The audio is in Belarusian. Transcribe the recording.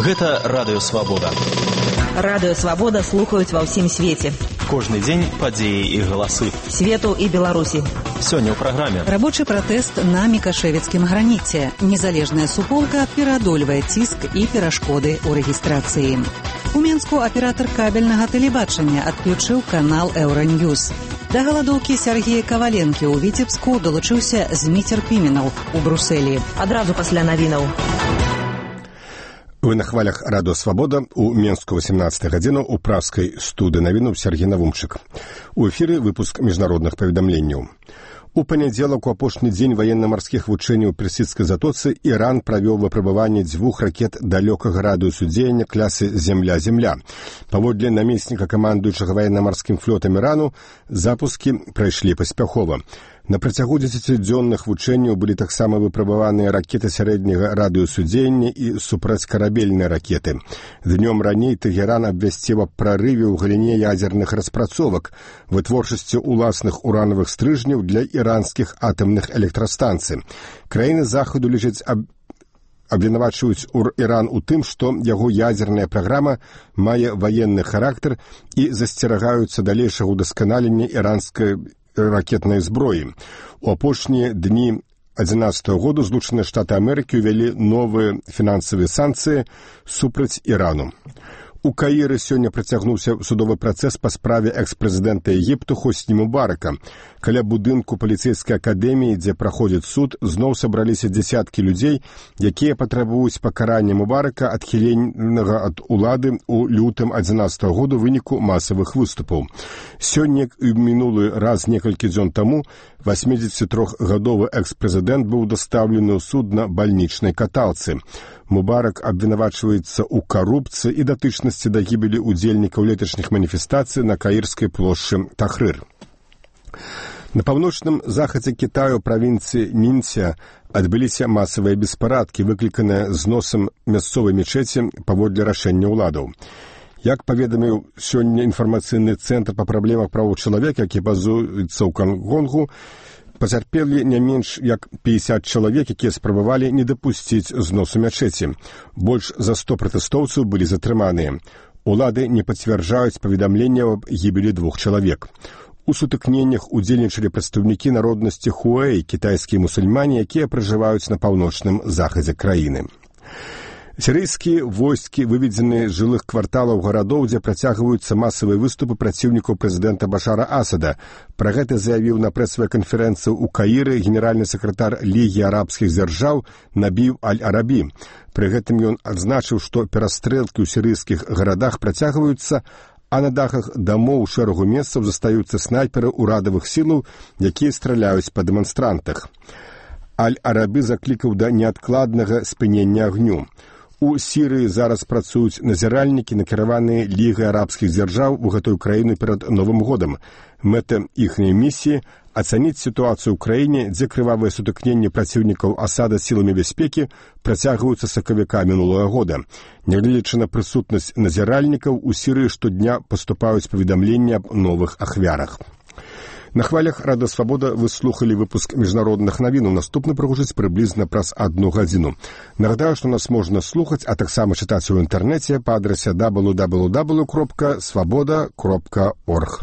Гэта Радыё Свабода. Радыё Свабода слухаюць ва ўсім свеце. Кожны дзень падзеі і галасы. Свету і Беларусі. Сёння ў праграме. Рабочы пратэст на Мікашэвіцкім граніце. Незалежная суполка пераадольвае ціск і перашкоды ў рэгістрацыі. У Менску аператар кабельнага тэлебачання адключыў канал Еўраньюз. Да галадоўкі Сергея Каваленкі ў Віцебску долучыўся Зміцер Піменаў у Брусэлі. Адразу пасля навінаў. Вы на хвалях Радыё Свабода. У Менску 18 гадзіну у пражскай студыі навінаў Сергей Навумчык. У эфіры выпуск міжнародных паведамленняў. У панядзелак у апошні дзень ваенна-марскіх вучэнняў у персідскай затоцы Іран правёў выпрабаванне 2 ракет далёкага радыусу дзеяння класы «Земля-Земля». Паводле намесніка камандуючага ваенна-марскім флотам Ірану, запускі прайшлі паспяхова. На працягу 10-дзённых вучэнняў былі таксама выпрабаваныя ракеты сярэдняга радыусу дзеяння і супрацькарабельныя ракеты. Днём раней Тэгеран абвясціў аб прарыве ў галіне ядзерных распрацовак, вытворчасці ўласных уранавых стрыжняў для іранскіх атамных электрастанцый. Краіны захаду лічаць абвінавачваюць Іран у тым, што яго ядзерная праграма мае ваенны характар і засцерагаюцца далейшага ўдасканалення іранскай ракетнай зброі. У апошнія дні 2011 году Злучаныя Штаты Амерыкі ўвялі новыя фінансавыя санкцыі супраць Ірану. У Каіры сёння працягнуўся судовы працэс па справе экс-прэзідэнта Егіпту Хосні Мубарака. Каля будынку паліцэйскай акадэміі, дзе праходзіць суд, зноў сабраліся дзясяткі людзей, якія патрабуюць пакарання Мубарака адхіленага ад улады ў лютым 2011 году ў выніку масавых выступаў. Сёння і мінулы раз некалькі дзён таму 83-гадовы экс-прэзідэнт быў дастаўлены ў суд на бальнічнай каталцы. Мубарак абвінавачваецца ў карупцыі і датычнасці да гібелі ўдзельнікаў леташніх маніфестацый на каірскай плошчы Тахрыр. На паўночным захадзе Кітаю правінцыі Нінця адбыліся масавыя беспарадкі, выкліканыя зносам мясцовай мечеці паводле рашэння ўладаў. Як паведаміў сёння інфармацыйны цэнтр па праблемах правоў чалавека, які базуецца ў Гонконгу, пацярпелі не менш як 50 чалавек, якія спрабавалі не дапусціць зносу мячэці. Больш за 100 пратэстоўцаў былі затрыманыя. Улады не пацвярджаюць паведамленняў аб гібелі 2 чалавек. У сутыкненнях удзельнічалі прадстаўнікі народнасці Хуэй, кітайскія мусульмане, якія пражываюць на паўночным захадзе краіны. Сірыйскія войскі выведзены з жылых кварталаў гарадоў, дзе працягваюцца масавыя выступы праціўнікаў прэзідэнта Башара Асада. Пра гэта заявіў на прэсавай канферэнцыі ў Каіры генеральны сакратар Лігі арабскіх дзяржаў Набіў Аль-Арабі. Пры гэтым ён адзначыў, што перастрэлкі ў сірыйскіх гарадах працягваюцца, а на дахах дамоў у шэрагу месцаў застаюцца снайперы ўрадавых сілаў, якія страляюць па дэманстрантах. Аль-Арабі заклікаў да неадкладнага спынення агню. У Сірыі зараз працуюць назіральнікі, накіраваныя Лігай арабскіх дзяржаў у гэтую краіну перад Новым годам. Мэта іхняй місіі – ацаніць сітуацыю ў краіне, дзе крывавыя сутыкненні праціўнікаў Асада сіламі бяспекі працягваюцца з сакавіка мінулага года. Нягледзячы на прысутнасць назіральнікаў, у Сірыі штодня паступаюць паведамленні аб новых ахвярах. На хвалях Радыё Свабода вы слухалі выпуск міжнародных навінаў. Наступны прагучыць прыблізна праз 1 гадзіну. Нагадаю, што нас можна слухаць, а таксама чытаць у інтэрнэце па адрасе www.swaboda.org.